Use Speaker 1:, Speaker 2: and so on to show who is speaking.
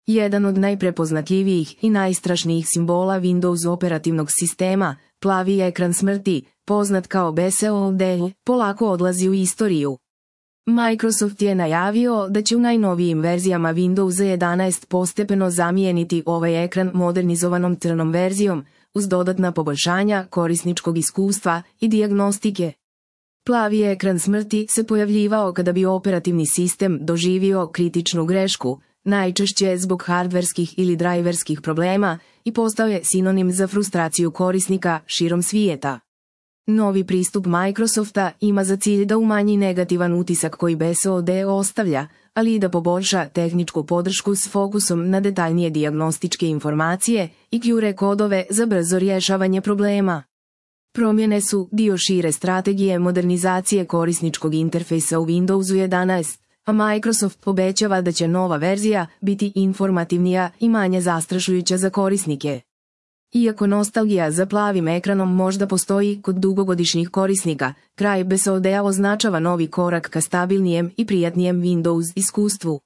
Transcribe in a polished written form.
Speaker 1: Jedan od najprepoznatljivijih i najstrašnijih simbola Windows operativnog sistema, plavi ekran smrti, poznat kao BSOD, polako odlazi u istoriju. Microsoft je najavio da će u najnovijim verzijama Windowsa 11 postepeno zamijeniti ovaj ekran modernizovanom crnom verzijom, uz dodatna poboljšanja korisničkog iskustva i dijagnostike. Plavi ekran smrti se pojavljivao kada bi operativni sistem doživio kritičnu grešku, najčešće zbog hardverskih ili driverskih problema, i postao je sinonim za frustraciju korisnika širom svijeta. Novi pristup Microsofta ima za cilj da umanji negativan utisak koji BSOD ostavlja, ali i da poboljša tehničku podršku s fokusom na detaljnije dijagnostičke informacije i QR kodove za brzo rješavanje problema. Promjene su dio šire strategije modernizacije korisničkog interfejsa u Windowsu 11, a Microsoft obećava da će nova verzija biti informativnija i manje zastrašujuća za korisnike. Iako nostalgija za plavim ekranom možda postoji kod dugogodišnjih korisnika, kraj BSOD-a označava novi korak ka stabilnijem i prijatnijem Windows iskustvu.